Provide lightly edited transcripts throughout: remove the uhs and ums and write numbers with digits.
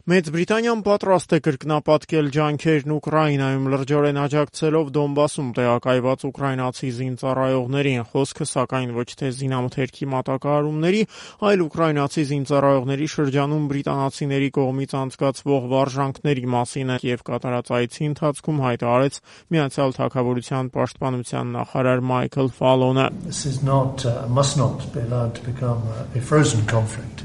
Մեծ Բրիտանիան պատրաստ է կրկնապատկել ջանքերն Ուկրաինայում լրջորեն աջակցելով Դոնբասում տեղակայված ուկրաինացի զինծառայողներին, խոսքը սակայն ոչ թե զինամթերքի մատակարարումների, այլ ուկրաինացի զինծառայողների շրջանում բրիտանացիների կողմից անցկացվող վարժանքների մասին է և կատարած այցի ընթացքում հայտարարեց Միացյալ Թագավորության պաշտպանության նախարար Մայքլ Ֆալոնը։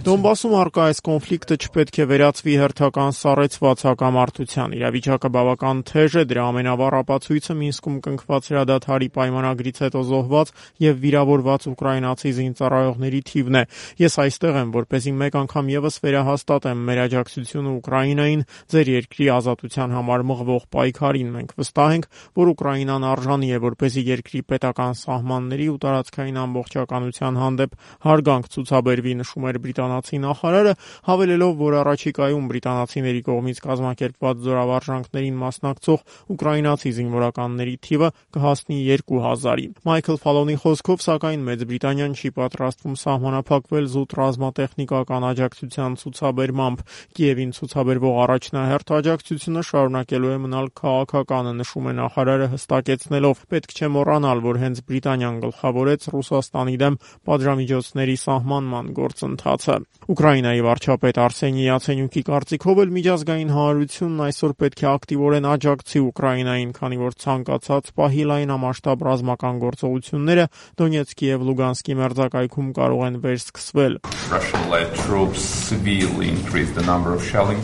Դոնբասում առկա այս կոնֆլիկտը չպետք է վերածվի հերթական սառեցված հակամարտության։ Իրավիճակը բավական թեժ է, դրա ամենավառ ապացույցը Մինսկում կնքված հրադադարի պայմանագրից հետո զոհված և վիրավորված ուկրաինացի զինծառայողների թիվն է։ Ես այստեղ եմ, որպեսզի մեկ անգամ ևս վերահաստատեմ մեր աջակցությունը Ուկրաինային, ձեր երկրի ազատության համար մղվող պայքարին։ Մենք վստահ ենք, որ Ուկրաինան արժանի է, որպեսզի երկրի պետական սահմանների ու տարածքային ամբողջականության հանդեպ հարգանք ցուցաբերվի, նշում էր բրիտանացի նախարարը, հավելելով, որ առաջիկայում բրիտանացիների կողմից կազմակերպված զորավարժանքներին մասնակցող ուկրաինացի զինվորականների թիվը կհասնի 2000-ի։ Մայքլ Ֆալոնի խոսքով, սակայն Մեծ Բրիտանիան չի պատրաստվում սահմանափակվել զուտ ռազմատեխնիկական աջակցության ցուցաբերմամբ։ Կիևին ցուցաբերվող առաջնահերթ աջակցությունը շարունակելու է մնալ քաղաքականը, նշում է նախարարը, հստակեցնելով. պետք չէ մոռանալ, որ հենց Բրիտանիան գլխավորեց Ռուսաստանի դեմ պատժամիջոցների սահմանման գործընթացը։ Ուկրաինայի վարչապետ Արսենի Յացենյուկի կարծիքով էլ միջազգային հանրությունն այսօր պետք է ակտիվորեն աջակցի Ուկրաինային, քանի որ ցանկացած պահի լայնամասշտաբ ռազմական գործողությունները Դոնեցկի և Լուգանսկի մերձակայքում կարող են վերսկսվել։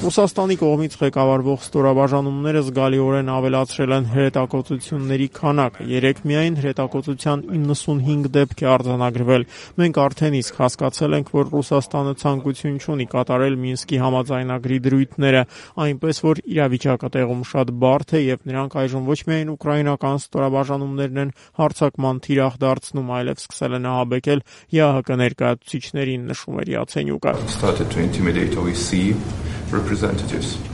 Ռուսաստանի կողմից ղեկավարվող ստորաբաժանումները զգալիորեն ավելացրել են հրետակոծությունների քանակը։ Երեկ միայն հրետակոծության 95 դեպք է արձանագրվել։ Մենք արդեն իսկ հասկացել ենք, որ Ռուսաստանը ցանկություն չունի կատարել Մինսկի համաձայնագրի դրույթները, այնպես որ իրավիճակը տեղում շատ բարդ է և նրանք այժմ ոչ միայն ուկրաինական ստորաբաժանումներն են հարձակման թիրախ դարձնում, այլև սկսել են ահաբեկել ԵԱՀԿ ներկայացուցիչներին, նշում էր Յացենյուկը։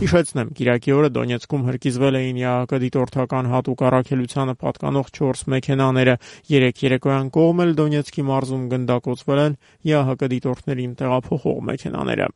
Հիշեցնեմ, կիրակի օրը Դոնեցկում հրկիզվել էին ԵԱՀԿ դիտորդական հատուկ առաքելությանը պատկանող 4 մեքենաները։ Երեկ երեկոյան կողմ էլ Դոնեցկի մարզում գնդակոծվել են ԵԱՀԿ դիտորդներին տեղափոխող մեքենաները։